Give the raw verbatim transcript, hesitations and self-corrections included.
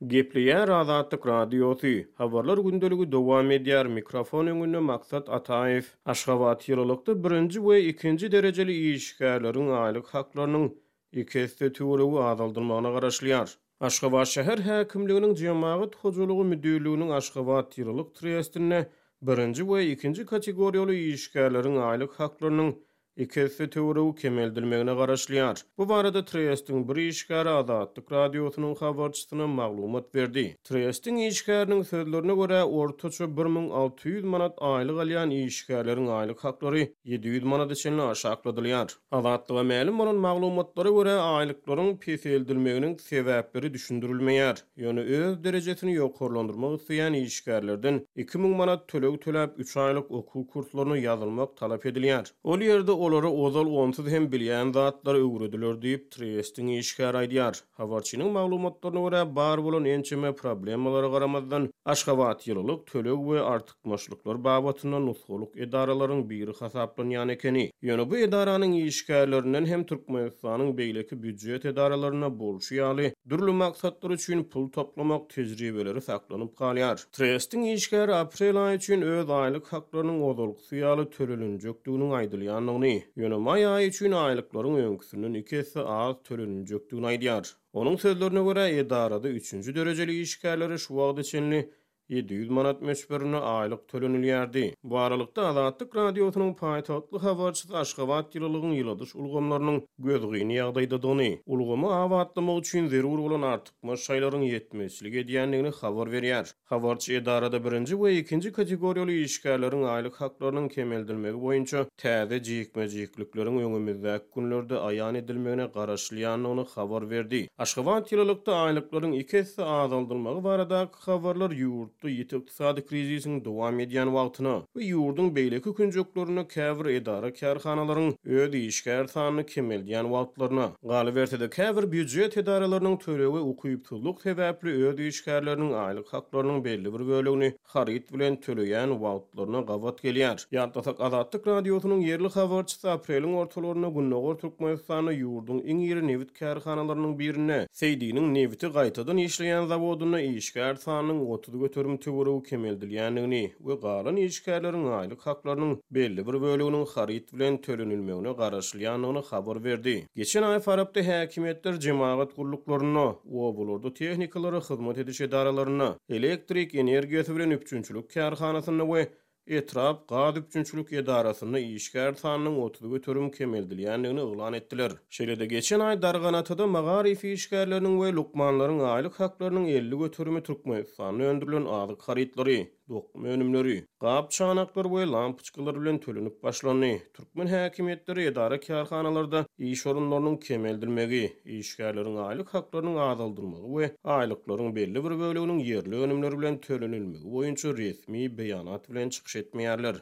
Gepleýär Azatlyk Radiosy. Habarlar gündeligi dowam edýär. Mikrofon öňünde Maksat Ataýew. Aşgabat ýylylykda birinji we ikinji derejeli işgärleriň aýlyk haklarynyň iki esse töweregi azaldylmagyna garaşylýar. Aşgabat şäher häkimliginiň Jemagat hojalygy müdirliginiň Aşgabat ýylylyk trestinde birinji we ikinji kategoriýaly işgärleriň aýlyk haklarynyň iki esse töweregi kemeldilmegine garaşylýar. Bu barada Trestiň bir işgäri Azatlyk Radiosynyň habarçysyna maglumat berdi. Trestiň işgäriniň sözlerine görä, ortaça bir müň alty ýüz manat aýlyk alýan işgärleriň aýlyk haklary ýedi ýüz manada çenli aşakladylýar. Azatlyga mälim bolan maglumatlara görä, aýlyklaryň peseldilmeginiň sebäpleri düşündirilmeýär. Ýöne öz derejesini ýokarlandyrmak isleýän işgärlerden iki müň manat töleg töläp üç aýlyk okuw kurslaryna ýazylmak talap edilýär. Ol ýerde olara ozal onsuz hem bilýän zatlary öwrediler diýip, Trestiň işgäri aýdýar. Habarçynyň maglumatlaryna görä, bar bolan ençeme problemalara garamazdan, Aşgabat ýylylyk, töleg we artykmaçlyklar babatynda nusgalyk edaralaryň biri hasaplanýan ekeni. Ýöne bu edaranyň işgärlerinden hem Türkmenistanyň beýleki býujet edaralarynda bolşy ýaly dürli maksatlar üçin pul toplamak tejribeleri saklanyp galýar. Trestiň işgäri aprel aýy üçin öz aýlyk haklarynyň ozalkysy ýaly tölenjekdiginiň aýdylýandygyny, ýöne maý aýy üçin aýlyklaryň öňküsinden iki esse az tölenjekdigini aýdýar. Onuň sözlerine görä, edarada üçünji derejeli işgärlere şu wagta çenli ýedi ýüz manat möçberinde aýlyk tölenilýärdi. Bu aralykda Azatlyk Radiosynyň paýtagtly habarçysy Aşgabat ýylylygyň ýyladyş ulgamlarynyň gözgyny ýagdaýdadygyny, ulgamy abatlamak üçin zerur bolan artykmaç şaýlaryň ýetmezçilik edýändigini habar berýär. Habarçy edarada birinji we ikinji kategoriýaly işgärleriň aýlyk haklarynyň kemeldilmegi boýunça täze jikme-jiklikleriň öňümizdäki günlerde aýan edilmegine garaşylýandygyny habar berdi. Aşgabat ýylylykda aýlyklaryň iki esse azaldylmagy baradaky habarlar ýurtda ýiti ykdysady krizisiň dowam edýän wagtyna we ýurduň beýleki künjeklerinde käbir edara kärhanalaryň öz işgär sanyny kemeldýän wagtlaryna, galyberse-de käbir býujet edaralarynyň tölegi ukypsyzlyk sebäpli öz işgärleriniň aýlyk haklarynyň belli bir bölegini haryt bilen töleýän wagtlaryna gabat gelýär. Ýatlasak, Azatlyk Radiosynyň ýerli habarçysy apreliň ortalarynda Gündogar Türkmenistanda ýurduň iň iri nebit kärhanalarynyň birinde Seýdiniň nebiti gaýtadan işleýän zawodynda işgär sanynyň otuz göterim töweregi kemeldilýändigini we galan işgärleriň aýlyk haklarynyň belli bir böleginiň haryt bilen tölenilmegine garaşylýandygyny habar berdi. Geçen aý Farapda häkimiýetler jemagat gulluklarynda, obalarda tehnikalara hyzmat ediş edaralarynda, elektrik energiýasy bilen üpjünçilik kärhanasynda we etrap gaz üpjünçilik edarasynda işgär sanynyň otuz göterim kemeldilýändigini yglan etdiler. Şeýle-de geçen aý Darganatada magaryf işgärleriniň we lukmanlaryň aýlyk haklarynyň elli göterimi Türkmenistanda öndürilen azyk harytlary, dokma önümleri, gap çanaklar we lampoçkalar bilen tölenip başlandy. Türkmen häkimiýetleri edara kärhanalarda iş orunlarynyň kemeldilmegi, işgärleriň aýlyk haklarynyň azaldylmagy we aýlyklaryň belli bir böleginiň ýerli önümler bilen tölenilmegi boýunça resmi beýanat bilen çykyş etmeýärler.